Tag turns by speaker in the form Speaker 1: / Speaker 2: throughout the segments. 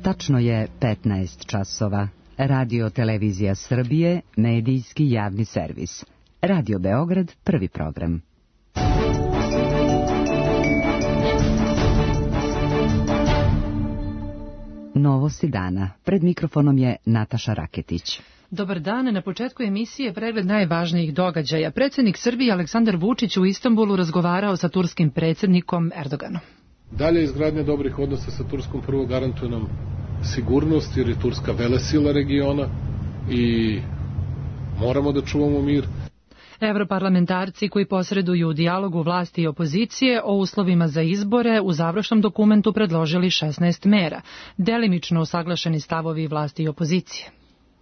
Speaker 1: Tačno je 15 časova. Radio Televizija Srbije, medijski javni servis. Radio Beograd, prvi program. Novosti dana. Pred mikrofonom je Nataša Raketić.
Speaker 2: Dobar dan, na početku emisije pregled najvažnijih događaja. Predsjednik Srbije Aleksandar Vučić u Istanbulu razgovarao sa turskim predsjednikom Erdoganom.
Speaker 3: Dalje izgradnja dobrih odnosa sa Turskom prvo garantuje nam sigurnost, jer je Turska velesila regiona i moramo da čuvamo mir.
Speaker 2: Evroparlamentarci koji posreduju u dijalogu vlasti i opozicije o uslovima za izbore u završnom dokumentu predložili 16 mera, delimično usaglašeni stavovi vlasti i opozicije.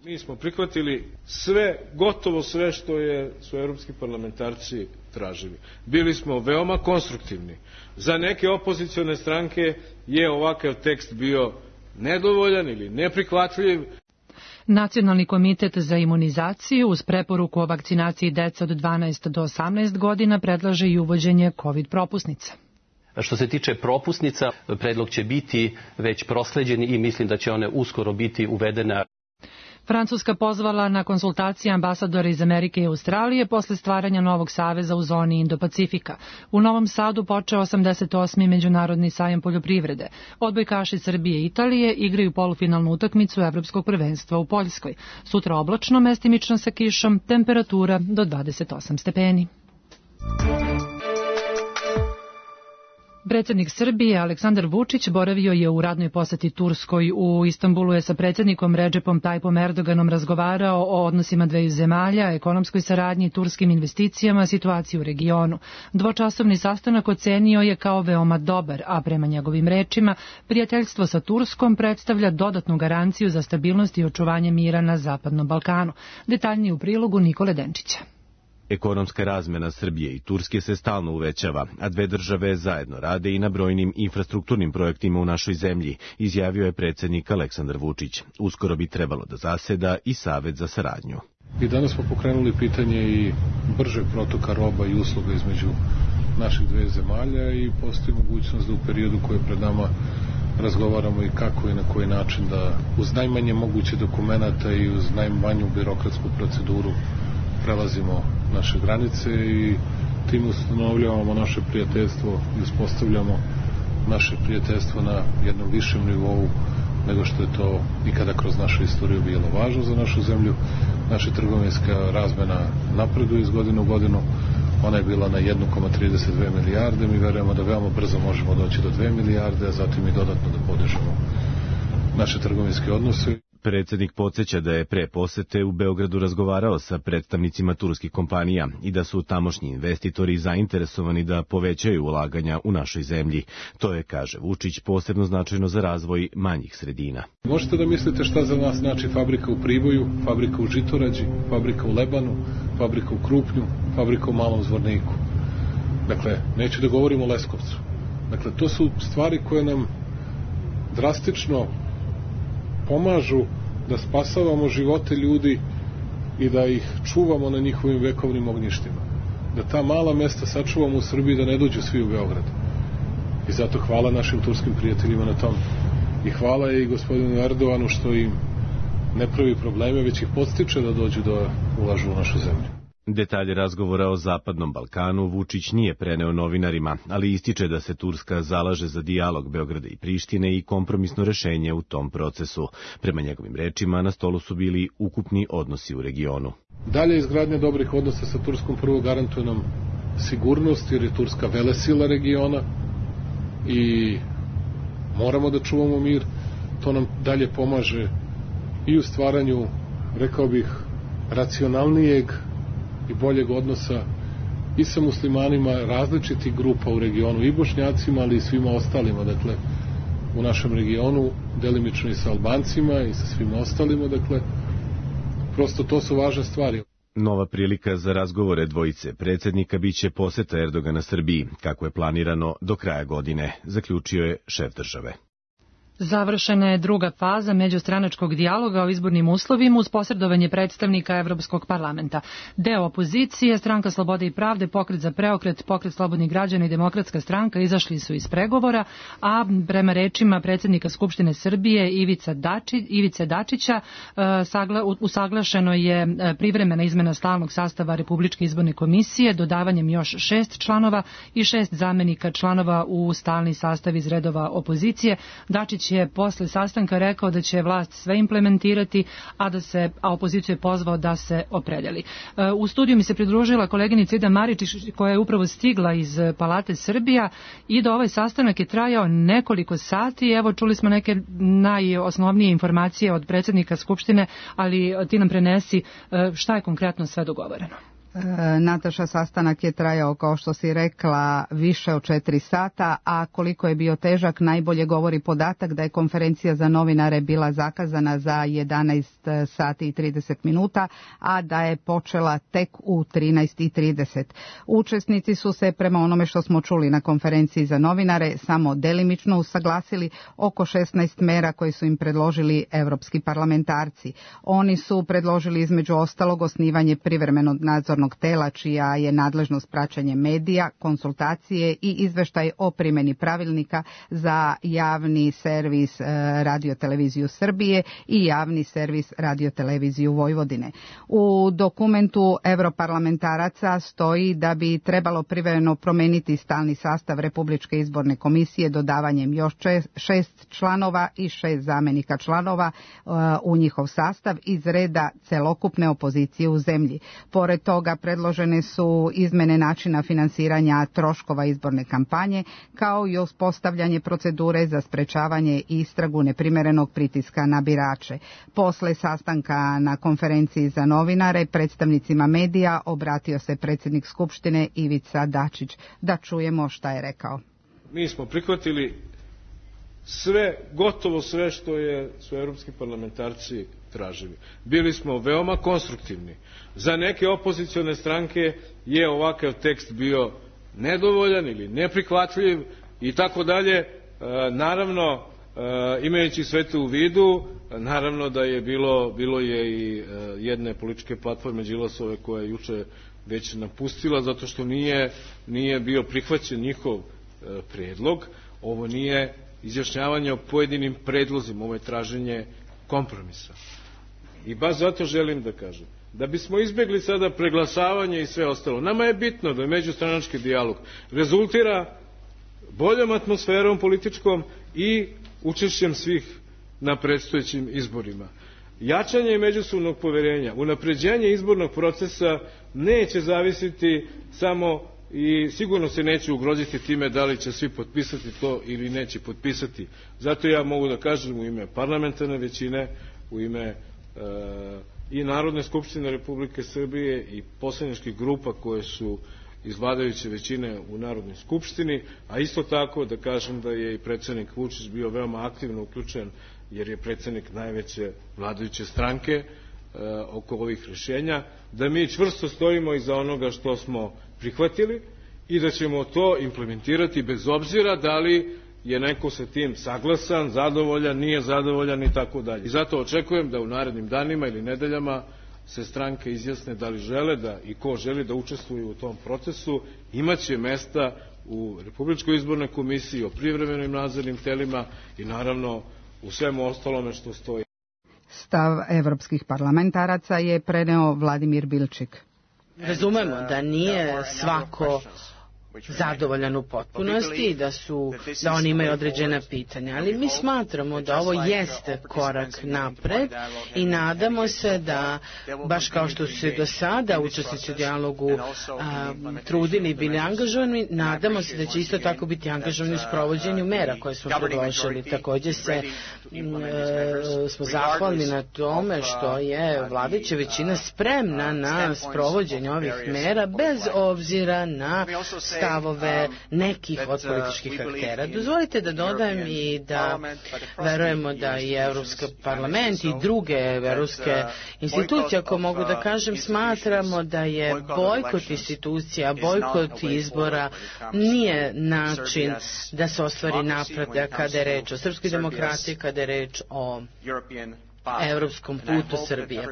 Speaker 4: Mi smo prihvatili sve, gotovo sve što su evropski parlamentarci tražili. Bili smo veoma konstruktivni. Za neke opozicione stranke je ovakav tekst bio nedovoljan ili neprihvatljiv.
Speaker 2: Nacionalni komitet za imunizaciju uz preporuku o vakcinaciji dece od 12 do 18 godina predlaže i uvođenje COVID propusnica.
Speaker 5: Što se tiče propusnica, predlog će biti već prosleđen i mislim da će one uskoro biti uvedene.
Speaker 2: Francuska pozvala na konsultacije ambasadora iz Amerike i Australije posle stvaranja novog saveza u zoni Indo-Pacifika. U Novom Sadu počeo 88. međunarodni sajam poljoprivrede. Odbojkaši Srbije i Italije igraju polufinalnu utakmicu Evropskog prvenstva u Poljskoj. Sutra oblačno, mestimično sa kišom, temperatura do 28 stepeni. Predsjednik Srbije Aleksandar Vučić boravio je u radnoj poseti Turskoj. U Istanbulu je sa predsjednikom Redžepom Tajipom Erdoganom razgovarao o odnosima dveju zemalja, ekonomskoj saradnji, turskim investicijama, situaciji u regionu. Dvočasovni sastanak ocenio je kao veoma dobar, a prema njegovim rečima, prijateljstvo sa Turskom predstavlja dodatnu garanciju za stabilnost i očuvanje mira na Zapadnom Balkanu. Detaljnije u prilogu Nikole Denčića.
Speaker 6: Ekonomska razmena Srbije i Turske se stalno uvećava, a dve države zajedno rade i na brojnim infrastrukturnim projektima u našoj zemlji, izjavio je predsjednik Aleksandar Vučić. Uskoro bi trebalo da zaseda i Savet za saradnju.
Speaker 3: I danas smo pokrenuli pitanje i bržeg protoka roba i usluga između naših dve zemalja i postoji mogućnost da u periodu koji je pred nama razgovaramo i kako i na koji način da uz najmanje moguće dokumenata i uz najmanju birokratsku proceduru prelazimo naše granice i tim ustanovljavamo naše prijateljstvo i uspostavljamo naše prijateljstvo na jednom višem nivou nego što je to ikada kroz našu istoriju bilo važno za našu zemlju. Naša trgovinska razmena napreduje iz godine u godinu. Ona je bila na 1,32 milijarde. Mi verujemo da veoma brzo možemo doći do 2 milijarde, a zatim i dodatno da podižemo naše trgovinske odnose.
Speaker 6: Predsjednik podsjeća da je pre posete u Beogradu razgovarao sa predstavnicima turskih kompanija i da su tamošnji investitori zainteresovani da povećaju ulaganja u našoj zemlji. To je, kaže Vučić, posebno značajno za razvoj manjih sredina.
Speaker 3: Možete da mislite šta za nas znači fabrika u Priboju, fabrika u Žitorađi, fabrika u Lebanu, fabrika u Krupnju, fabrika u Malom Zvorniku. Dakle, neću da govorim o Leskovcu. Dakle, to su stvari koje nam drastično pomažu da spasavamo živote ljudi i da ih čuvamo na njihovim vekovnim ognjištima. Da ta mala mesta sačuvamo u Srbiji, da ne dođu svi u Beograd. I zato hvala našim turskim prijateljima na tom. I hvala i gospodinu Erdoganu što im ne pravi probleme, već ih podstiče da dođu da ulažu u našu zemlju.
Speaker 6: Detalje razgovora o Zapadnom Balkanu Vučić nije preneo novinarima, ali ističe da se Turska zalaže za dijalog Beograda i Prištine i kompromisno rešenje u tom procesu. Prema njegovim rečima, na stolu su bili ukupni odnosi u regionu.
Speaker 3: Dalje izgradnja dobrih odnosa sa Turskom prvo garantuje nam sigurnost, jer je Turska velesila regiona i moramo da čuvamo mir. To nam dalje pomaže i u stvaranju, rekao bih, racionalnijeg i boljeg odnosa i sa muslimanima različitih grupa u regionu, i Bošnjacima, ali i svima ostalima, dakle, u našem regionu, delimično i sa Albancima i sa svima ostalima, dakle, prosto to su važne stvari.
Speaker 6: Nova prilika za razgovore dvojice predsjednika biće poseta Erdogana Srbiji, kako je planirano do kraja godine, zaključio je šef države.
Speaker 2: Završena je druga faza međustranačkog dijaloga o izbornim uslovima uz posredovanje predstavnika Evropskog parlamenta. Deo opozicije, Stranka slobode i pravde, Pokret za preokret, Pokret slobodnih građana i Demokratska stranka izašli su iz pregovora, a prema rečima predsjednika Skupštine Srbije Ivice Dačića usaglašeno je privremena izmena stalnog sastava Republičke izborne komisije dodavanjem još 6 članova i 6 zamenika članova u stalni sastav iz redova opozicije. Dačić je posle sastanka rekao da će vlast sve implementirati, a opoziciju je pozvao da se opredeli. U studiju mi se pridružila koleginica Ida Maričić koja je upravo stigla iz Palate Srbija i da ovaj sastanak je trajao nekoliko sati. Evo, čuli smo neke najosnovnije informacije od predsjednika Skupštine, ali ti nam prenesi šta je konkretno sve dogovoreno.
Speaker 7: Nataša, sastanak je trajao, kao što si rekla, više od 4 sata, a koliko je bio težak najbolje govori podatak da je konferencija za novinare bila zakazana za 11 sati i 30 minuta, a da je počela tek u 13:30. Učesnici su se, prema onome što smo čuli na konferenciji za novinare, samo delimično usaglasili oko 16 mera koje su im predložili evropski parlamentarci. Oni su predložili između ostalog osnivanje privremenog nadzornog tela čija je nadležnost praćenje medija, konsultacije i izveštaj o primjeni pravilnika za javni servis Radio-televiziju Srbije i javni servis Radio-televiziju Vojvodine. U dokumentu europarlamentaraca stoji da bi trebalo privremeno promeniti stalni sastav Republičke izborne komisije dodavanjem još 6 članova i 6 zamenika članova u njihov sastav iz reda celokupne opozicije u zemlji. Pored toga predložene su izmene načina finansiranja troškova izborne kampanje, kao i uspostavljanje procedure za sprečavanje i istragu neprimjerenog pritiska na birače. Posle sastanka na konferenciji za novinare predstavnicima medija obratio se predsjednik Skupštine Ivica Dačić. Da čujemo šta je rekao.
Speaker 4: Mi smo prihvatili gotovo sve što su evropski parlamentarci tražili. Bili smo veoma konstruktivni. Za neke opozicione stranke je ovakav tekst bio nedovoljan ili neprihvatljiv i tako dalje. Naravno, imajući sve to u vidu, naravno da je bilo je i jedne političke platforme Đilasove koja je juče već napustila zato što nije bio prihvaćen njihov predlog. Ovo nije izjašnjavanje o pojedinim predlozima, ovo je traženje kompromisa. I baš zato želim da kažem, da bismo izbjegli sada preglasavanje i sve ostalo, nama je bitno da međustranački dijalog rezultira boljom atmosferom političkom i učešćem svih na predstojećim izborima. Jačanje međusobnog poverenja, unapređenje izbornog procesa neće zavisiti samo i sigurno se neće ugroziti time da li će svi potpisati to ili neće potpisati. Zato ja mogu da kažem u ime parlamentarne većine, u ime i Narodne skupštine Republike Srbije i poslaničkih grupa koje su iz vladajuće većine u Narodnoj skupštini, a isto tako da kažem da je i predsjednik Vučić bio veoma aktivno uključen jer je predsjednik najveće vladajuće stranke oko ovih rješenja, da mi čvrsto stojimo iza onoga što smo prihvatili i da ćemo to implementirati bez obzira da li je neko sa tim saglasan, zadovoljan, nije zadovoljan i tako dalje. I zato očekujem da u narednim danima ili nedeljama se stranke izjasne da li žele da i ko želi da učestvuju u tom procesu, imaće mesta u Republičkoj izbornoj komisiji, o privremenim nadzornim telima i naravno u svemu ostalome što stoji.
Speaker 7: Stav evropskih parlamentaraca je preneo Vladimir Bilčik.
Speaker 8: Razumemo da nije svako zadovoljan u potpunosti i da oni imaju određena pitanja, ali mi smatramo da ovo jeste korak napred i nadamo se da, baš kao što su se do sada učesnici u dijalogu trudili i bili angažovani, nadamo se da će isto tako biti angažovani u sprovođenju mera koje smo predložili. Također smo zahvalni na tome što je vladajuća većina spremna na sprovođenje ovih mera bez obzira na stavove nekih od političkih aktera. Dozvolite da dodam i da verujemo da i Evropski parlament i druge evropske institucije, ako mogu da kažem, smatramo da je bojkot institucija, bojkot izbora nije način da se ostvari napredak kada je reč o srpskoj demokratiji, kada je reč o evropskom putu Srbije.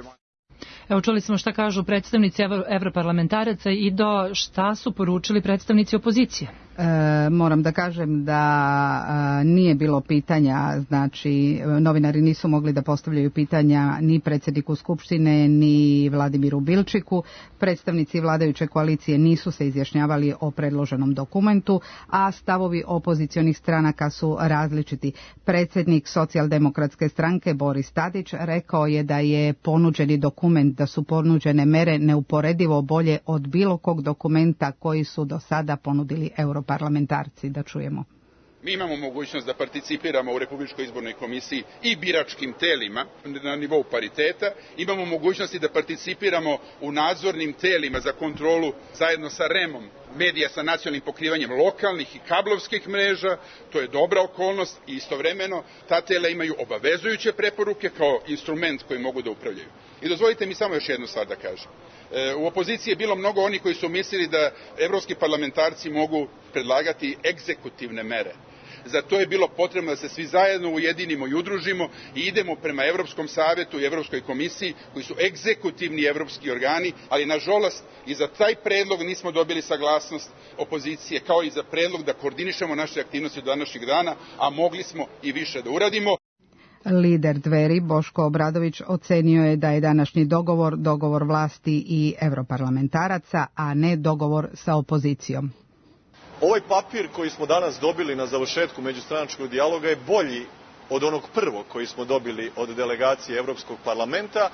Speaker 2: Evo, čuli smo šta kažu predstavnici evroparlamentaraca i šta su poručili predstavnici opozicije.
Speaker 7: Moram da kažem da nije bilo pitanja, znači novinari nisu mogli da postavljaju pitanja ni predsjedniku Skupštine ni Vladimiru Bilčiku. Predstavnici vladajuće koalicije nisu se izjašnjavali o predloženom dokumentu, a stavovi opozicionih stranaka su različiti. Predsjednik Socijaldemokratske stranke Boris Tadić rekao je da je ponuđeni dokument, da su ponuđene mere neuporedivo bolje od bilo kog dokumenta koji su do sada ponudili europarlamentarci. Da čujemo.
Speaker 9: Mi imamo mogućnost da participiramo u Republičkoj izbornoj komisiji i biračkim telima na nivou pariteta. Imamo mogućnosti da participiramo u nadzornim telima za kontrolu zajedno sa REM-om medija sa nacionalnim pokrivanjem lokalnih i kablovskih mreža. To je dobra okolnost i istovremeno ta tela imaju obavezujuće preporuke kao instrument koji mogu da upravljaju. I dozvolite mi samo još jednu stvar da kažem. U opoziciji je bilo mnogo onih koji su mislili da evropski parlamentarci mogu predlagati egzekutivne mere. Za to je bilo potrebno da se svi zajedno ujedinimo i udružimo i idemo prema Evropskom savetu i Evropskoj komisiji, koji su egzekutivni evropski organi, ali nažalost i za taj predlog nismo dobili saglasnost opozicije, kao i za predlog da koordinišemo naše aktivnosti do današnjeg dana, a mogli smo i više da uradimo.
Speaker 7: Lider Dveri Boško Obradović ocenio je da je današnji dogovor vlasti i evroparlamentaraca, a ne dogovor sa opozicijom.
Speaker 10: Ovaj papir koji smo danas dobili na završetku međustranačkog dijaloga je bolji od onog prvog koji smo dobili od delegacije Evropskog parlamenta.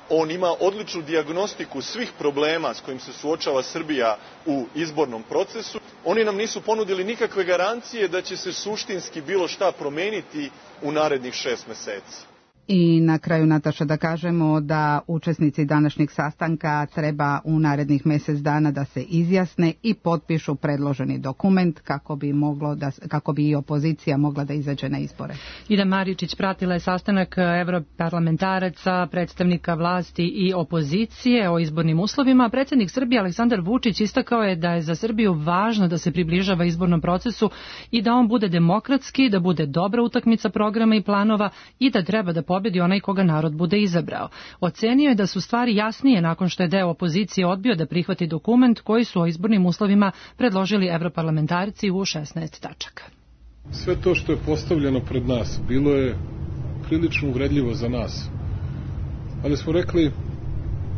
Speaker 10: On ima odličnu dijagnostiku svih problema s kojim se suočava Srbija u izbornom procesu. Oni nam nisu ponudili nikakve garancije da će se suštinski bilo šta promeniti u narednih 6 meseci.
Speaker 7: I na kraju, Nataša, da kažemo da učesnici današnjeg sastanka treba u narednih mjesec dana da se izjasne i potpišu predloženi dokument kako bi i opozicija mogla da izađe na izbore.
Speaker 2: Ida Maričić pratila je sastanak evroparlamentaraca, predstavnika vlasti i opozicije o izbornim uslovima. Predsjednik Srbije Aleksandar Vučić istakao je da je za Srbiju važno da se približava izbornom procesu i da on bude demokratski, da bude dobra utakmica programa i planova i da treba da pobedi onaj koga narod bude izabrao. Ocenio je da su stvari jasnije nakon što je deo opozicije odbio da prihvati dokument koji su o izbornim uslovima predložili evroparlamentarci u 16 tačaka.
Speaker 3: Sve to što je postavljeno pred nas bilo je prilično uvredljivo za nas. Ali smo rekli,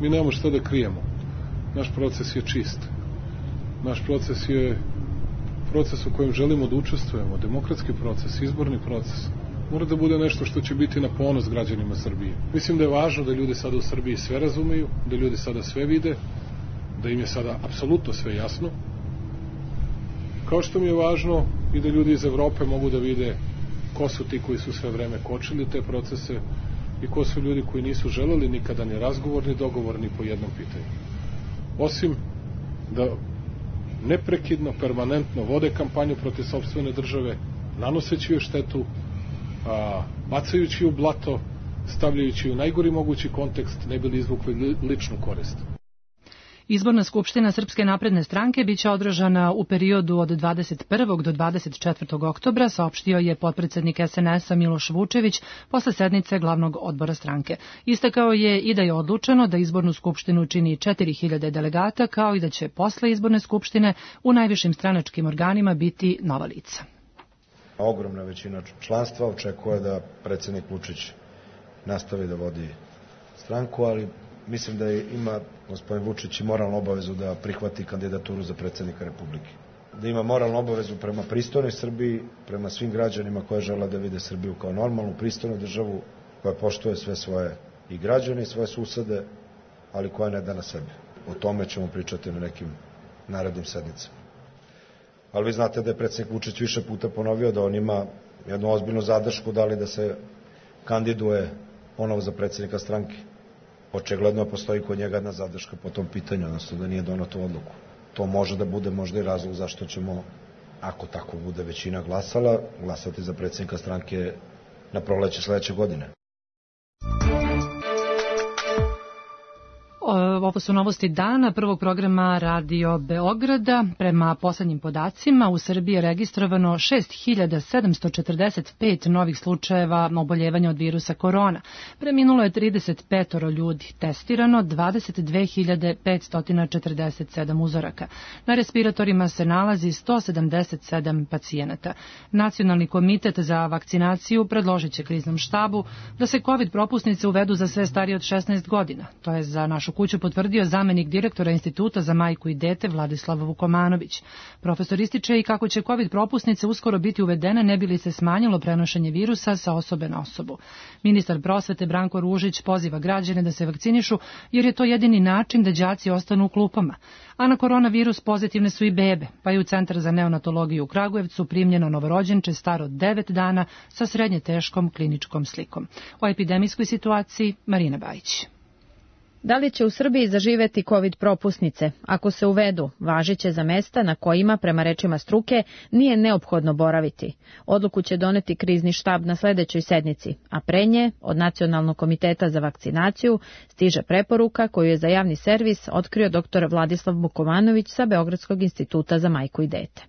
Speaker 3: mi nemamo šta da krijemo. Naš proces je čist. Naš proces je proces u kojem želimo da učestvujemo, demokratski proces, izborni proces. Mora da bude nešto što će biti na ponos građanima Srbije. Mislim da je važno da ljudi sada u Srbiji sve razumeju, da ljudi sada sve vide, da im je sada apsolutno sve jasno. Kao što mi je važno i da ljudi iz Evrope mogu da vide ko su ti koji su sve vreme kočili te procese i ko su ljudi koji nisu želeli nikada ni razgovor, ni dogovor, ni po jednom pitanju. Osim da neprekidno, permanentno vode kampanju protiv sopstvene države, nanoseći joj štetu, bacajući u blato, stavljajući u najgori mogući kontekst, ne bi li izvukli ličnu korist.
Speaker 2: Izborna skupština Srpske napredne stranke biće održana u periodu od 21. do 24. oktobra, saopštio je potpredsednik SNS-a Miloš Vučević posle sednice glavnog odbora stranke. Istakao je i da je odlučeno da izbornu skupštinu čini 4000 delegata, kao i da će posle izborne skupštine u najvišim stranačkim organima biti nova lica.
Speaker 11: Ogromna većina članstva očekuje da predsjednik Vučić nastavi da vodi stranku, ali mislim da ima gospodin Vučić i moralnu obavezu da prihvati kandidaturu za predsjednika Republike. Da ima moralnu obavezu prema pristojnoj Srbiji, prema svim građanima koji žele da vide Srbiju kao normalnu, pristojnu državu koja poštuje sve svoje i građane i svoje susede, ali koja ne da na sebe. O tome ćemo pričati na nekim narednim sednicama. Ali vi znate da je predsjednik Vučić više puta ponovio da on ima jednu ozbiljnu zadršku da li da se kandiduje ponovo za predsjednika stranke. Očigledno postoji kod njega jedna zadrška po tom pitanju, odnosno da nije donao tu odluku. to može da bude možda i razlog zašto ćemo, ako tako bude većina glasala, glasati za predsjednika stranke na proleće sledeće godine.
Speaker 2: Ovo su novosti dana prvog programa Radio Beograda. Prema poslednjim podacima u Srbiji je registrovano 6.745 novih slučajeva oboljevanja od virusa korona. Preminulo je 35 ljudi, testirano 22.547 uzoraka. Na respiratorima se nalazi 177 pacijenata. Nacionalni komitet za vakcinaciju predložit će kriznom štabu da se COVID propusnice uvedu za sve starije od 16 godina. To je za našu kuću potvrdio zamenik direktora Instituta za majku i dete Vladislav Vukomanović. Profesor ističe i kako će COVID propusnice uskoro biti uvedene ne bi li se smanjilo prenošenje virusa sa osobe na osobu. Ministar prosvete Branko Ružić poziva građane da se vakcinišu jer je to jedini način da đaci ostanu u klupama. A na koronavirus pozitivne su i bebe, pa je u Centar za neonatologiju u Kragujevcu primljeno novorođenče staro 9 dana sa srednje teškom kliničkom slikom. O epidemijskoj situaciji Marina Bajić.
Speaker 12: Da li će u Srbiji zaživeti COVID propusnice? Ako se uvedu, važiće za mesta na kojima, prema rečima struke, nije neophodno boraviti. Odluku će doneti krizni štab na sledećoj sednici, a pre nje, od Nacionalnog komiteta za vakcinaciju, stiže preporuka koju je za javni servis otkrio dr. Vladislav Vukomanović sa Beogradskog instituta za majku i dete.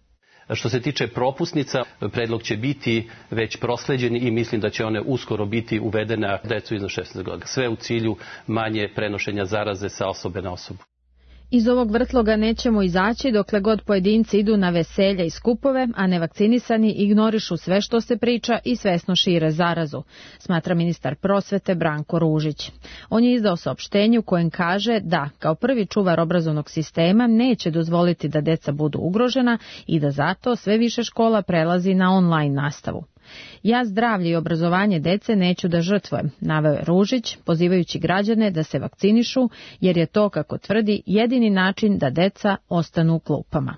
Speaker 5: Što se tiče propusnica, predlog će biti već prosleđen i mislim da će one uskoro biti uvedene na decu iznad 16 godina. Sve u cilju manje prenošenja zaraze sa osobe na osobu.
Speaker 12: Iz ovog vrtloga nećemo izaći dokle god pojedinci idu na veselja i skupove, a nevakcinisani ignorišu sve što se priča i svesno šire zarazu, smatra ministar prosvete Branko Ružić. On je izdao saopštenje u kojem kaže da, kao prvi čuvar obrazovnog sistema, neće dozvoliti da deca budu ugrožena i da zato sve više škola prelazi na online nastavu. Ja zdravlje i obrazovanje dece neću da žrtvujem, naveo je Ružić, pozivajući građane da se vakcinišu, jer je to, kako tvrdi, jedini način da deca ostanu u klupama.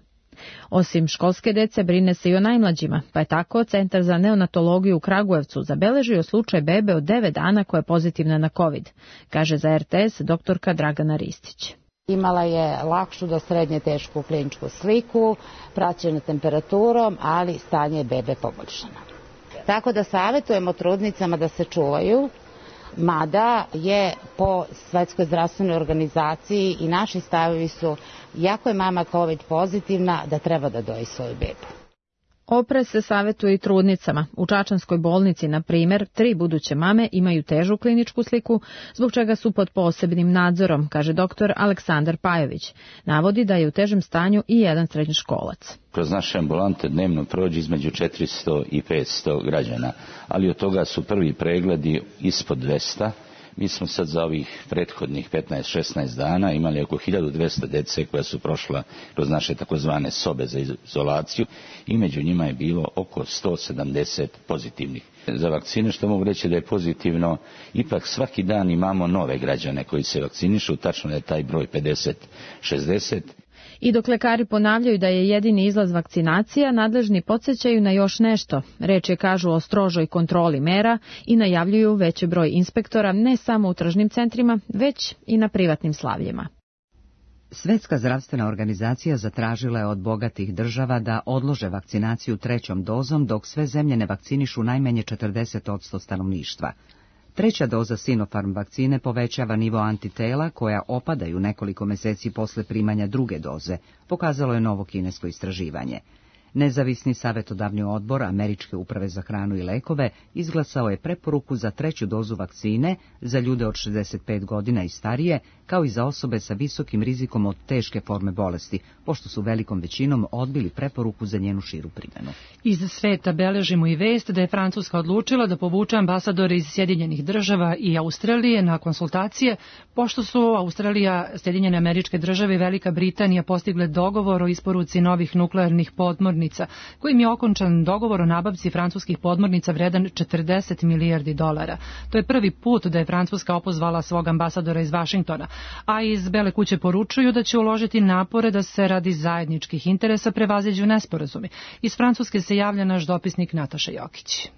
Speaker 12: Osim školske dece, brine se i o najmlađima, pa je tako Centar za neonatologiju u Kragujevcu zabeležio slučaj bebe od 9 dana koja je pozitivna na COVID, kaže za RTS doktorka Dragana Ristić.
Speaker 13: Imala je lakšu do srednje tešku kliničku sliku, praćena temperaturom, ali stanje bebe poboljšano. Tako da savjetujemo trudnicama da se čuvaju, mada je po Svetskoj zdravstvenoj organizaciji i naši stavovi su, jako je mama COVID pozitivna, da treba da doji svoju bebu.
Speaker 12: Oprez se savjetuje i trudnicama. U Čačanskoj bolnici, na primjer, 3 buduće mame imaju težu kliničku sliku, zbog čega su pod posebnim nadzorom, kaže doktor Aleksandar Pajović. Navodi da je u težem stanju i jedan srednjoškolac.
Speaker 14: Kroz naše ambulante dnevno prođe između 400 i 500 građana, ali od toga su prvi pregledi ispod 200. Mi smo sad za ovih prethodnih 15-16 dana imali oko 1200 dece koja su prošla kroz naše takozvane sobe za izolaciju i među njima je bilo oko 170 pozitivnih. Za vakcine što mogu reći da je pozitivno, ipak svaki dan imamo nove građane koji se vakcinišu, tačno je taj broj 50-60.
Speaker 12: I dok lekari ponavljaju da je jedini izlaz vakcinacija, nadležni podsjećaju na još nešto. Reč je, kažu, o strožoj kontroli mera i najavljuju veći broj inspektora ne samo u tržnim centrima, već i na privatnim slavljima.
Speaker 1: Svetska zdravstvena organizacija zatražila je od bogatih država da odlože vakcinaciju 3. dozom, dok sve zemlje ne vakcinišu najmanje 40% stanovništva. 3. doza Sinopharm vakcine povećava nivo antitela koja opadaju nekoliko meseci posle primanja 2. doze, pokazalo je novo kinesko istraživanje. Nezavisni savjetodavni odbor Američke uprave za hranu i lekove izglasao je preporuku za 3. dozu vakcine za ljude od 65 godina i starije, kao i za osobe sa visokim rizikom od teške forme bolesti, pošto su velikom većinom odbili preporuku za njenu širu primjenu.
Speaker 2: Iz sveta beležimo i vest da je Francuska odlučila da povuče ambasadore iz Sjedinjenih država i Australije na konsultacije, pošto su Australija, Sjedinjene Američke Države i Velika Britanija postigle dogovor o isporuci novih nuklearnih podmornica, kojim je okončan dogovor o nabavci francuskih podmornica vredan $40 milijardi. To je prvi put da je Francuska opozvala svog ambasadora iz Vašingtona, a iz Bele kuće poručuju da će uložiti napore da se radi zajedničkih interesa prevaziđu nesporazumi. Iz Francuske se javlja naš dopisnik Nataša Jokić.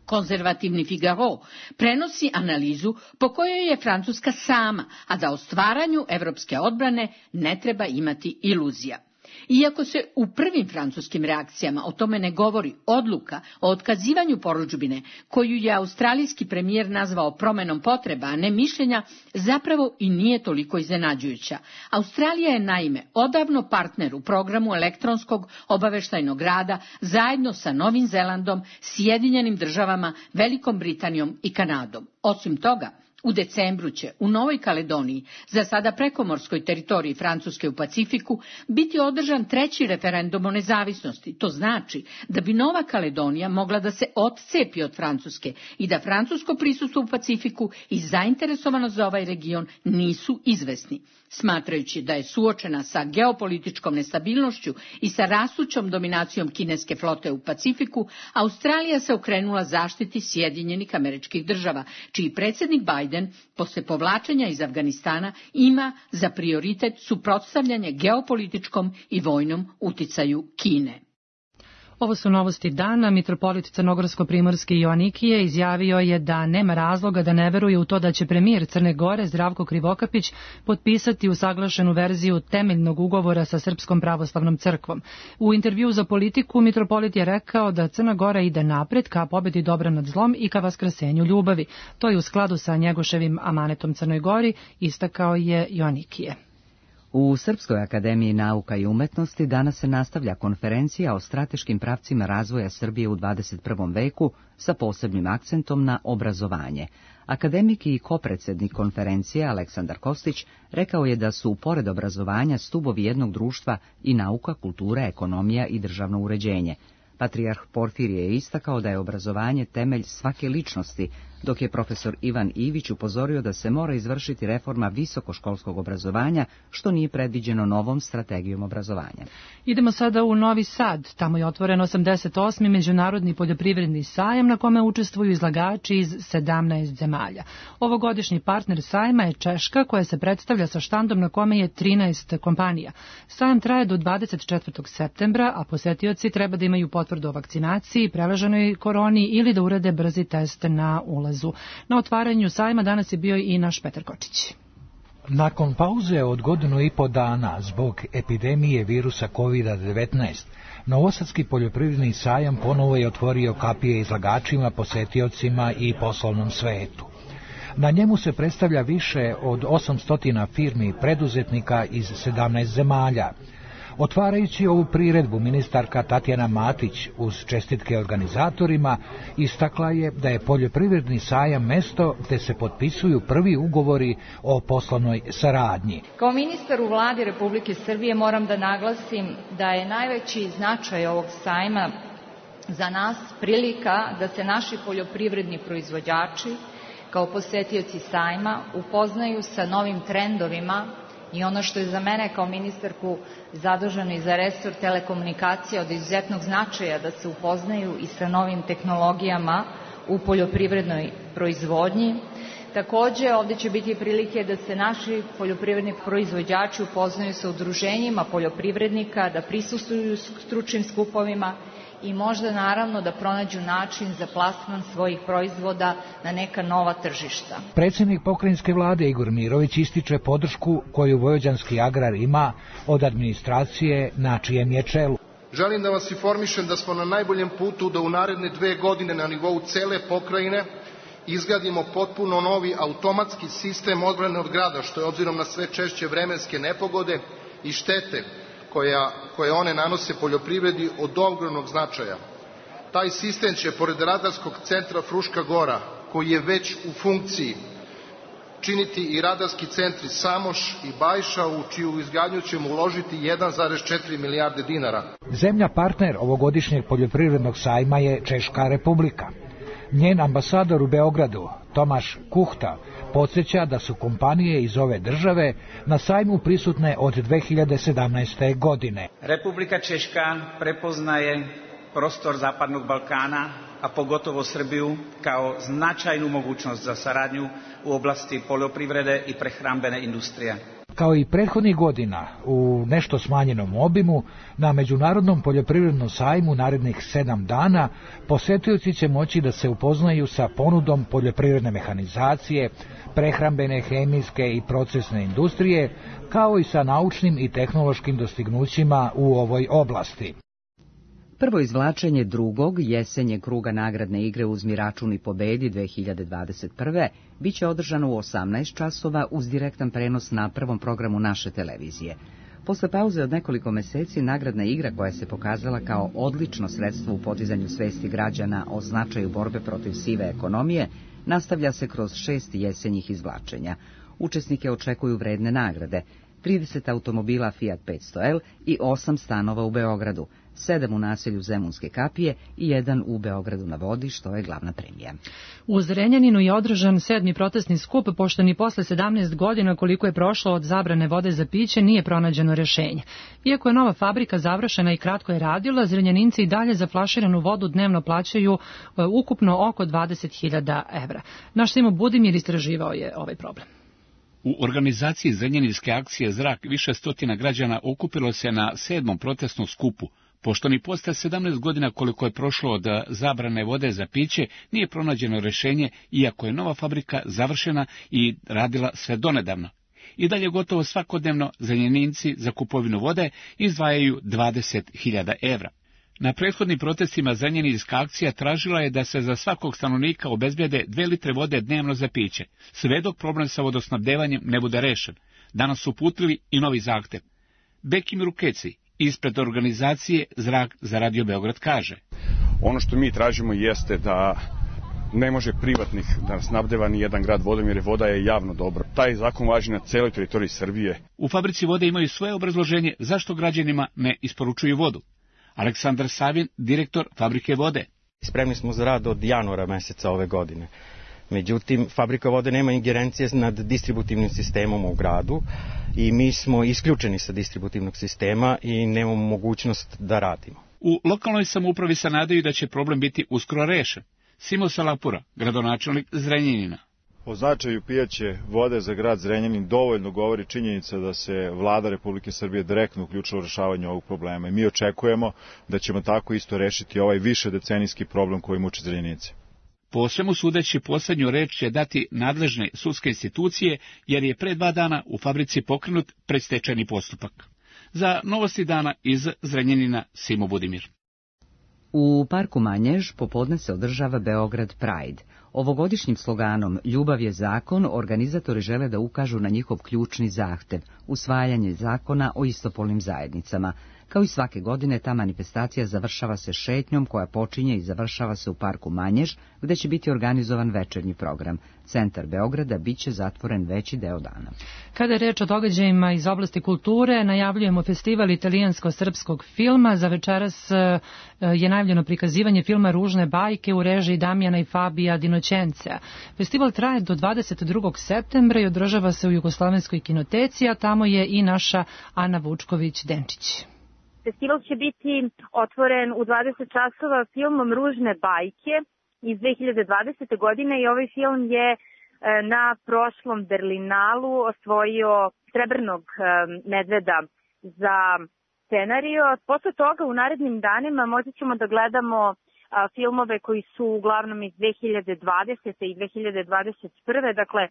Speaker 15: Konzervativni Figaro prenosi analizu po kojoj je Francuska sama, a da o stvaranju evropske odbrane ne treba imati iluzija. Iako se u prvim francuskim reakcijama o tome ne govori, odluka o otkazivanju porudžbine, koju je australijski premijer nazvao promenom potreba, a ne mišljenja, zapravo i nije toliko iznenađujuća. Australija je naime odavno partner u programu elektronskog obaveštajnog rada zajedno sa Novim Zelandom, Sjedinjenim Državama, Velikom Britanijom i Kanadom. Osim toga, u decembru će u Novoj Kaledoniji, za sada prekomorskoj teritoriji Francuske u Pacifiku, biti održan 3. referendum o nezavisnosti. To znači da bi Nova Kaledonija mogla da se odcepi od Francuske i da francusko prisustvo u Pacifiku i zainteresovanost za ovaj region nisu izvesni. Smatrajući da je suočena sa geopolitičkom nestabilnošću i sa rastućom dominacijom kineske flote u Pacifiku, Australija se okrenula zaštiti Sjedinjenih Američkih Država, čiji predsjednik Biden posle povlačenja iz Afganistana ima za prioritet suprotstavljanje geopolitičkom i vojnom uticaju Kine.
Speaker 2: Ovo su novosti dana. Mitropolit Crnogorsko-Primorski Joanikije izjavio je da nema razloga da ne veruje u to da će premijer Crne Gore Zdravko Krivokapić potpisati usaglašenu verziju temeljnog ugovora sa Srpskom pravoslavnom crkvom. U intervju za Politiku Mitropolit je rekao da Crna Gora ide napred ka pobedi dobra nad zlom i ka vaskrsenju ljubavi. To je u skladu sa Njegoševim amanetom Crnoj Gori, istakao je Joanikije.
Speaker 1: U Srpskoj akademiji nauka i umetnosti danas se nastavlja konferencija o strateškim pravcima razvoja Srbije u 21. veku sa posebnim akcentom na obrazovanje. Akademik i kopredsjednik konferencije Aleksandar Kostić rekao je da su, pored obrazovanja, stubovi jednog društva i nauka, kultura, ekonomija i državno uređenje. Patrijarh Porfirije je istakao da je obrazovanje temelj svake ličnosti, dok je profesor Ivan Ivić upozorio da se mora izvršiti reforma visokoškolskog obrazovanja, što nije predviđeno novom strategijom obrazovanja.
Speaker 2: Idemo sada u Novi Sad. Tamo je otvoren 88. međunarodni poljoprivredni sajam na kome učestvuju izlagači iz 17 zemalja. Ovogodišnji partner sajma je Češka, koja se predstavlja sa štandom na kome je 13 kompanija. Sajam traje do 24. septembra, a posetioci treba da imaju potvrdu o vakcinaciji, prelaženoj koroni ili da urade brzi test na ulazu. Na otvaranju sajma danas je bio i naš Petar Kočić.
Speaker 16: Nakon pauze od 1,5 godina zbog epidemije virusa COVID-19, Novosadski poljoprivredni sajam ponovo je otvorio kapije izlagačima, posetiocima i poslovnom svetu. Na njemu se predstavlja više od 800 firmi i preduzetnika iz 17 zemalja. Otvarajući ovu priredbu, ministarka Tatjana Matić uz čestitke organizatorima istakla je da je poljoprivredni sajam mesto gde se potpisuju prvi ugovori o poslovnoj saradnji.
Speaker 17: Kao ministar u vladi Republike Srbije moram da naglasim da je najveći značaj ovog sajma za nas prilika da se naši poljoprivredni proizvođači kao posetioci sajma upoznaju sa novim trendovima i ono što je za mene kao ministarku zaduženo i za resor telekomunikacija od izuzetnog značaja, da se upoznaju i sa novim tehnologijama u poljoprivrednoj proizvodnji. Takođe, ovde će biti prilike da se naši poljoprivredni proizvođači upoznaju sa udruženjima poljoprivrednika, da prisustvuju stručnim skupovima i možda naravno da pronađu način za plasman svojih proizvoda na neka nova tržišta.
Speaker 16: Predsjednik pokrajinske vlade Igor Mirović ističe podršku koju vojvođanski agrar ima od administracije na čijem je čelu.
Speaker 18: Želim da vas informišem da smo na najboljem putu da u naredne 2 godine na nivou cele pokrajine izgradimo potpuno novi automatski sistem odbrane od grada, što je obzirom na sve češće vremenske nepogode i štete koje one nanose poljoprivredi od ogromnog značaja. Taj sistem će, pored radarskog centra Fruška Gora, koji je već u funkciji, činiti i radarski centri Samoš i Bajša, u čiju izgradnju ćemo uložiti 1,4 milijarde dinara.
Speaker 16: Zemlja partner ovogodišnjeg poljoprivrednog sajma je Češka Republika. Njen ambasador u Beogradu, Tomaš Kuhta, podsjeća da su kompanije iz ove države na sajmu prisutne od 2017. godine.
Speaker 19: Republika Češka prepoznaje prostor Zapadnog Balkana, a pogotovo Srbiju, kao značajnu mogućnost za saradnju u oblasti poljoprivrede i prehrambene industrije.
Speaker 16: Kao i prethodnih godina, u nešto smanjenom obimu, na Međunarodnom poljoprivrednom sajmu narednih 7 dana posetioci će moći da se upoznaju sa ponudom poljoprivredne mehanizacije, prehrambene, hemijske i procesne industrije, kao i sa naučnim i tehnološkim dostignućima u ovoj oblasti.
Speaker 1: Prvo izvlačenje drugog jesenje kruga nagradne igre Uzmi račun i pobedi 2021. biće održano u 18 časova uz direktan prenos na prvom programu naše televizije. Posle pauze od nekoliko meseci nagradna igra koja se pokazala kao odlično sredstvo u podizanju svesti građana o značaju borbe protiv sive ekonomije, nastavlja se kroz 6 jesenjih izvlačenja. Učesnike očekuju vredne nagrade, 30 automobila Fiat 500L i 8 stanova u Beogradu, 7 u naselju Zemunske kapije i 1 u Beogradu na vodi, što je glavna premija.
Speaker 2: U Zrenjaninu je održan 7. protestni skup, pošto ni posle 17 godina koliko je prošlo od zabrane vode za piće nije pronađeno rešenje. Iako je nova fabrika završena i kratko je radila, Zrenjaninci i dalje za flaširanu vodu dnevno plaćaju ukupno oko 20.000 evra. Naš Simo Budimir istraživao je ovaj problem.
Speaker 20: U organizaciji Zrenjaninske akcije Zrak više stotina građana okupilo se na 7. protestnom skupu, pošto ni posle 17 godina koliko je prošlo od zabrane vode za piće nije pronađeno rešenje, iako je nova fabrika završena i radila sve donedavno. I dalje gotovo svakodnevno Zrenjaninci za kupovinu vode izdvajaju 20.000 evra. Na prethodnim protestima Zrenjaninska akcija tražila je da se za svakog stanovnika obezbede 2 litre vode dnevno za piće, sve dok problem sa vodosnabdevanjem ne bude rešen. Danas su uputili i novi zahtev. Bekim Rukeci ispred organizacije Zrak za Radio Beograd kaže:
Speaker 21: ono što mi tražimo jeste da ne može privatnik da snabdeva ni jedan grad vodom, jer voda je javno dobro. Taj zakon važi na celoj teritoriji Srbije.
Speaker 20: U fabrici vode imaju svoje obrazloženje zašto građanima ne isporučuju vodu. Aleksandar Savin, direktor fabrike vode.
Speaker 22: Spremni smo za rad od januara meseca ove godine. Međutim, fabrika vode nema ingerencije nad distributivnim sistemom u gradu i mi smo isključeni sa distributivnog sistema i nemamo mogućnost da radimo.
Speaker 20: U lokalnoj samoupravi se nadaju da će problem biti uskoro rešen. Simo Salapura, gradonačelnik Zrenjanina.
Speaker 23: O značaju pijaće vode za grad Zrenjanin dovoljno govori činjenica da se Vlada Republike Srbije direktno uključila u rešavanje ovog problema i mi očekujemo da ćemo tako isto rešiti ovaj višedecenijski problem koji muči Zrenjanice.
Speaker 20: Po svemu sudeći poslednju reč će dati nadležne sudske institucije, jer je pre 2 dana u fabrici pokrenut predstečajni postupak. Za Novosti dana iz Zrenjanina, Simo Budimir.
Speaker 1: U parku Manjež popodne se održava Beograd Pride. Ovogodišnjim sloganom Ljubav je zakon organizatori žele da ukažu na njihov ključni zahtev, usvajanje zakona o istopolnim zajednicama. Kao i svake godine, ta manifestacija završava se šetnjom koja počinje i završava se u parku Manjež, gde će biti organizovan večernji program. Centar Beograda biće zatvoren veći deo dana.
Speaker 2: Kada je reč o događajima iz oblasti kulture, najavljujemo festival italijansko-srpskog filma. Za večeras je najavljeno prikazivanje filma Ružne bajke u režiji Damjana i Fabija Dinoćencea. Festival traje do 22. septembra i održava se u Jugoslovenskoj kinoteci, a tamo je i naša Ana Vučković-Denčić.
Speaker 24: Festival će biti otvoren u 20 časova filmom Ružne bajke iz 2020. godine i ovaj film je na prošlom Berlinalu osvojio srebrnog medveda za scenario. Posle toga u narednim danima moći ćemo da gledamo filmove koji su uglavnom iz 2020. i 2021. Dakle,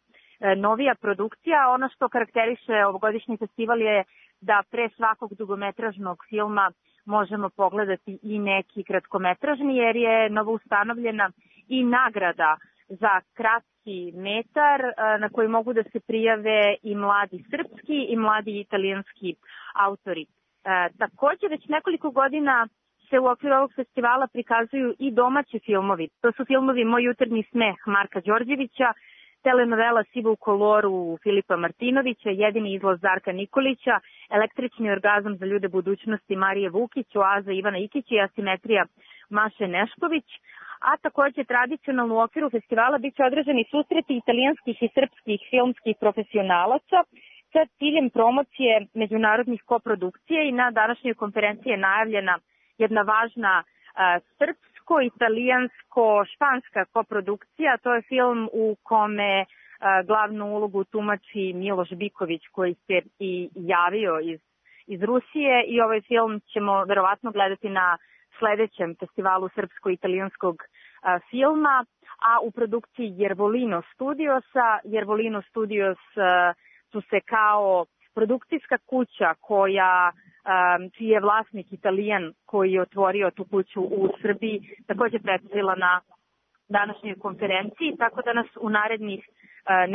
Speaker 24: novija produkcija. Ono što karakteriše ovogodišnji festival je da pre svakog dugometražnog filma možemo pogledati i neki kratkometražni, jer je novo ustanovljena i nagrada za kratki metar na koji mogu da se prijave i mladi srpski i mladi italijanski autori. Takođe, već nekoliko godina se u okviru ovog festivala prikazuju i domaći filmovi. To su filmovi Moj jutarnji smeh Marka Đorđevića, telenovela Siva u koloru Filipa Martinovića, Jedini izlaz Darka Nikolića, Električni orgazam za ljude budućnosti Marije Vukić, Oaza Ivana Ikića i Asimetrija Maše Nešković. A takođe tradicionalno u okviru festivala bit će održani susreti italijanskih i srpskih filmskih profesionalaca sa ciljem promocije međunarodnih koprodukcija i na današnjoj konferenciji je najavljena jedna važna srpsko-italijansko-španska koprodukcija. To je film u kome Glavnu ulogu tumači Miloš Biković koji se i javio iz Rusije i ovaj film ćemo verovatno gledati na sledećem festivalu srpsko-italijanskog filma, a u produkciji Jervolino Studiosa. Jervolino Studios su se kao produkcijska kuća čiji je vlasnik Italijan koji je otvorio tu kuću u Srbiji, takođe predstavila na današnjoj konferenciji, tako da nas u narednih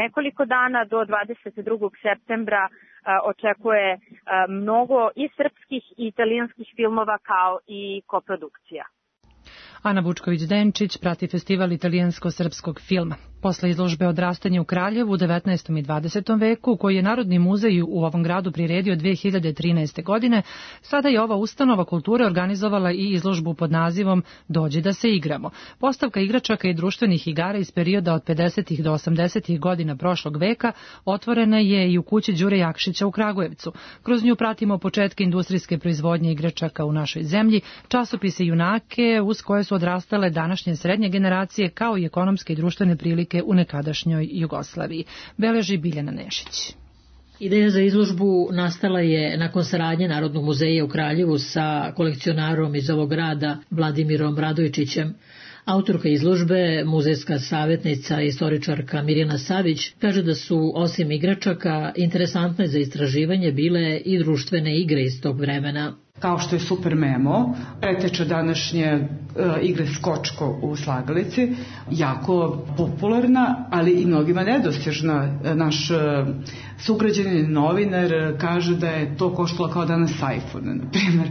Speaker 24: nekoliko dana do 22. septembra očekuje mnogo i srpskih i italijanskih filmova kao i koprodukcija.
Speaker 2: Ana Vučković-Denčić prati festival italijansko-srpskog filma. Posle izložbe Odrastanje u Kraljevu u 19. i 20. veku, koji je Narodni muzej u ovom gradu priredio 2013. godine, sada je ova ustanova kulture organizovala i izložbu pod nazivom Dođi da se igramo. Postavka igračaka i društvenih igara iz perioda od 50. do 80. godina prošlog veka otvorena je i u kući Đure Jakšića u Kragujevcu. Kroz nju pratimo početke industrijske proizvodnje igračaka u našoj zemlji, časopise junake uz koje su odrastale današnje srednje generacije, kao i ekonomske i društvene prilike u nekadašnjoj Jugoslaviji. Beleži Biljana Nešić.
Speaker 4: Ideja za izložbu nastala je nakon saradnje Narodnog muzeja u Kraljevu sa kolekcionarom iz ovog grada Vladimirom Radojčićem. Autorka izložbe, muzejska savjetnica i istoričarka Mirjana Savić, kaže da su osim igračaka interesantne za istraživanje bile i društvene igre iz tog vremena.
Speaker 6: Kao što je Super Memo, preteča današnje igre Skočko u slagalici, jako popularna, ali i mnogima nedostižna. Naš sugrađanin novinar kaže da je to koštalo kao danas iPhone, na primjer.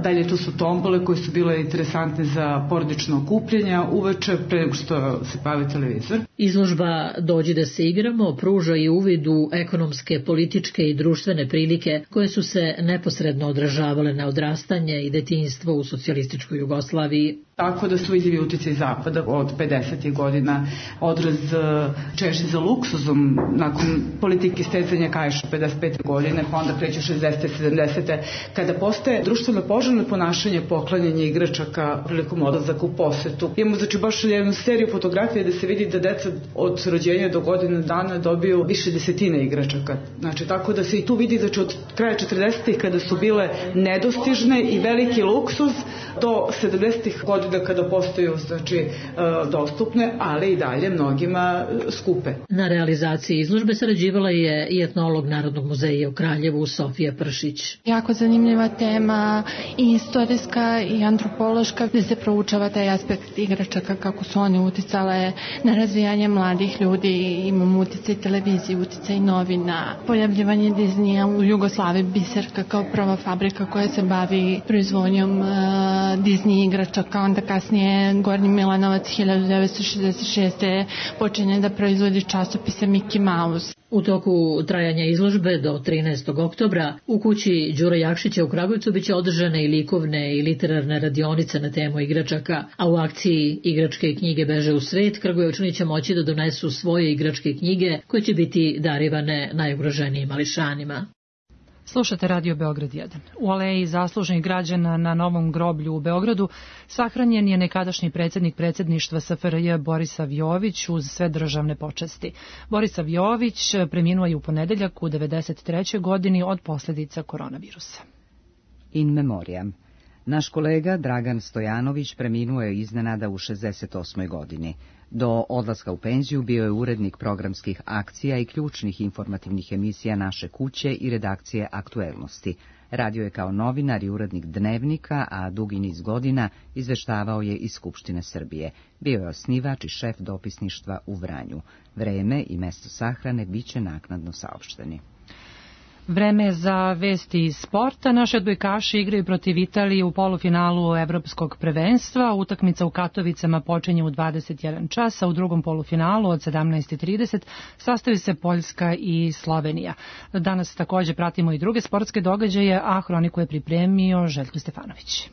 Speaker 6: Dalje tu su tombole koje su bile interesantne za porodično okupljanje uveče pre nego što se bavi televizor.
Speaker 4: Izložba Dođi da se igramo pruža i uvid u ekonomske, političke i društvene prilike koje su se neposredno odražavale na odrastanje i detinjstvo u socijalističkoj Jugoslaviji.
Speaker 6: Tako da su vidljivi utjecaj Zapada od 50. godina, odraz češnje za luksuzom nakon politike stecanja kaiša 55. godine, pa onda kreće 60. 70. kada postaje društveno poželjno ponašanje poklanjanje igračaka prilikom odlazaka u posetu. Imamo znači baš jednu seriju fotografija da se vidi da deca od rođenja do godine dana dobiju više desetina igračaka. Znači tako da se i tu vidi znači od kraja 40. kada su bile nedostižne i veliki luksuz do 70. godina kada postaju znači dostupne, ali i dalje mnogima skupe.
Speaker 4: Na realizaciji izložbe sarađivala je i etnolog Narodnog muzeja u Kraljevu Sofija Pršić.
Speaker 8: Jako zanimljiva tema i istorijska i antropološka, gde se proučava taj aspekt igračaka, kako su one uticale na razvijanje mladih ljudi, imamo uticaj televizije, uticaj novina, pojavljivanje Disneya u Jugoslaviji, Biserka kao prva fabrika koja se bavi proizvodnjom Disney igračaka, onda kasnije Gornji Milanovac 1966. počinje da proizvodi časopise Mickey Mouse.
Speaker 4: U toku trajanja izložbe do 13. oktobra u kući Đure Jakšića u Kragujevcu biće održane i likovne i literarne radionice na temu igračaka, a u akciji Igračke knjige beže u svet Kragujevčani će moći da donesu svoje igračke knjige koje će biti darivane najugroženijim mališanima.
Speaker 2: Slušate Radio Beograd 1. U aleji zaslužnih građana na Novom groblju u Beogradu sahranjen je nekadašnji predsjednik predsjedništva SFRJ Borisav Jović uz sve državne počasti. Borisav Jović preminuo je u ponedeljak u 93. godini od posljedica koronavirusa.
Speaker 1: In memoriam. Naš kolega Dragan Stojanović preminuo je iznenada u 68. godini. Do odlaska u penziju bio je urednik programskih akcija i ključnih informativnih emisija Naše kuće i redakcije Aktuelnosti. Radio je kao novinar i urednik Dnevnika, a dugi niz godina izveštavao je iz Skupštine Srbije. Bio je osnivač i šef dopisništva u Vranju. Vreme i mesto sahrane biće naknadno saopšteni.
Speaker 2: Vreme za vesti iz sporta. Naši odbojkaši igraju protiv Italije u polufinalu evropskog prvenstva. Utakmica u Katovicama počinje u 21 čas, a u drugom polufinalu od 17:30 sastaju se Poljska i Slovenija. Danas također pratimo i druge sportske događaje, a hroniku je pripremio Željko Stefanović.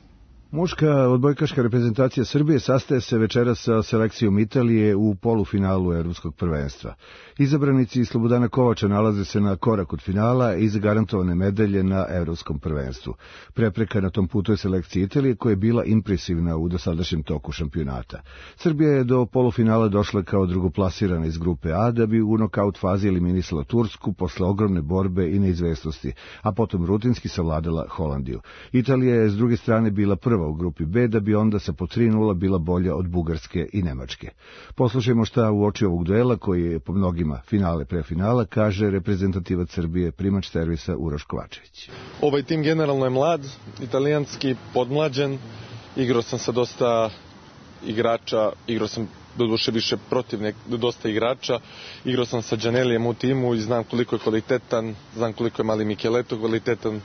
Speaker 3: Muška odbojkaška reprezentacija Srbije sastaje se večeras sa selekcijom Italije u polufinalu Evropskog prvenstva. Izabranici Slobodana Kovača nalaze se na korak od finala i zagarantovane medalje na Evropskom prvenstvu. Prepreka na tom putu je selekcija Italije koja je bila impresivna u dosadašnjem toku šampionata. Srbija je do polufinala došla kao drugoplasirana iz grupe A da bi u nokaut fazi eliminisala Tursku posle ogromne borbe i neizvesnosti, a potom rutinski savladala Holandiju. Italija je s druge strane bila prva u grupi B da bi onda sa po 3:0 bila bolja od Bugarske i Nemačke. Poslušajmo šta u oči ovog duela koji je po mnogima finale pre finala kaže reprezentativac Srbije primač servisa Uroš Kovačević.
Speaker 7: Ovaj tim generalno je mlad, italijanski, podmlađen. Igrao sam sa dosta igrača, igrao sam doduše više protiv dosta igrača. Igrao sam sa Đanelijem u timu i znam koliko je kvalitetan, znam koliko je mali Micheleto kvalitetan,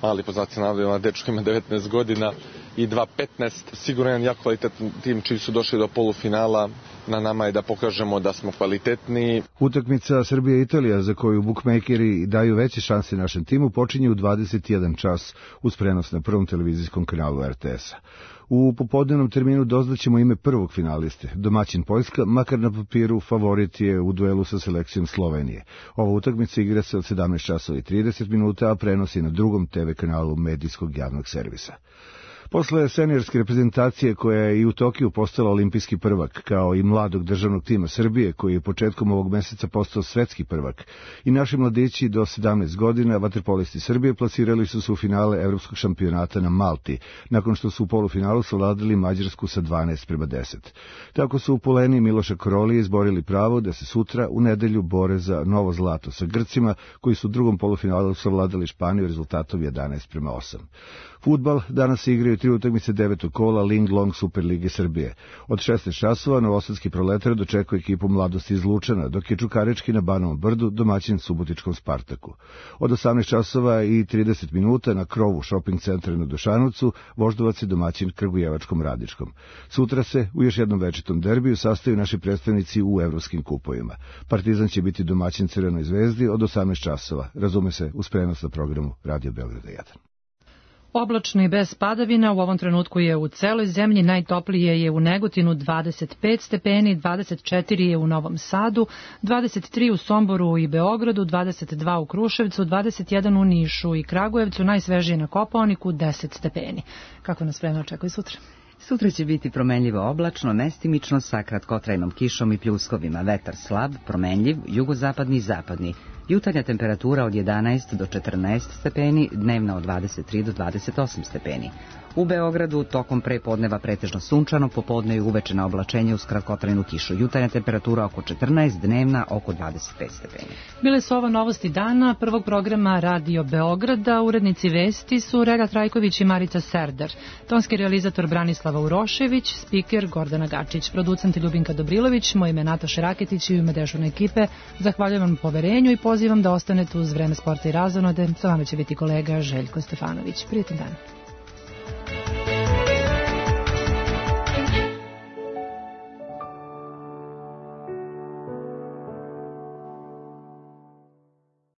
Speaker 7: mali po znacima navoda, dečko ima 19 godina i 2.15. Sigurno jedan jako kvalitetan tim čiji su došli do polufinala. Na nama je da pokažemo da smo kvalitetni.
Speaker 3: Utakmica Srbija-Italija za koju bukmejkeri daju veće šanse našem timu počinje u 21 čas uz prenos na prvom televizijskom kanalu RTS-a. U popodnevnom terminu doznaćemo ime prvog finaliste. Domaćin Poljska, makar na papiru, favorit je u duelu sa selekcijom Slovenije. Ova utakmica igra se od 17 časova i 30 minuta, a prenosi na drugom TV kanalu medijskog javnog servisa. Posle seniorske reprezentacije koja je i u Tokiju postala olimpijski prvak, kao i mladog državnog tima Srbije koji je početkom ovog meseca postao svetski prvak, i naši mladići do 17 godina, vaterpolisti Srbije, plasirali su se u finale Evropskog šampionata na Malti, nakon što su u polufinalu savladali Mađarsku sa 12:10. Tako su u Poleni Miloša Korolije izborili pravo da se sutra u nedelju bore za novo zlato sa Grcima, koji su u drugom polufinalu savladali Španiju rezultatom 11:8. Fudbal danas igraju 3 utakmice 9. kola Ling Long Super Lige Srbije. Od 16 časova novosadski Proletar dočekuje ekipu Mladosti iz Lučana, dok je Čukarički na Banovom Brdu domaćin Subotičkom Spartaku. Od 18 časova i 30 minuta na krovu shopping centra na Dušanovcu Voždovac je domaćin Kragujevačkom Radičkom. Sutra se u još jednom večitom derbiju sastaju naši predstavnici u evropskim kupovima. Partizan će biti domaćin Crvenoj Zvezdi od 18 časova. Razume se uz prenos na programu Radio Beograda 1.
Speaker 2: Oblačno i bez padavina, u ovom trenutku je u celoj zemlji, najtoplije je u Negotinu 25 stepeni, 24 je u Novom Sadu, 23 u Somboru i Beogradu, 22 u Kruševcu, 21 u Nišu i Kragujevcu, najsvežije na Kopaoniku 10 stepeni. Kako nas vreme očekuje sutra?
Speaker 1: Sutra će biti promenljivo oblačno, mestimično sa kratkotrajnom kišom i pljuskovima, vetar slab, promenljiv, jugozapadni i zapadni. Jutarnja temperatura od 11 do 14 stepeni, dnevna od 23 do 28 stepeni. U Beogradu tokom prepodneva pretežno sunčano, popodne i uveče na oblačenje uz kratkotrajnu kišu. Jutarnja temperatura oko 14, dnevna oko 25 stepeni.
Speaker 2: Bile su ovo novosti dana prvog programa Radio Beograda. Urednici vesti su Rega Trajković i Marica Serdar. Tonski realizator Branislava Urošević, spiker Gordana Gačić, producent Ljubinka Dobrilović, moje ime Nataša Raketić i u ime dežurne ekipe. Zahvaljujem vam poverenju i pozivam da ostanete uz Vreme sporta i razonode. Sa vama će biti kolega Željko Stefanović. Prijetan dan.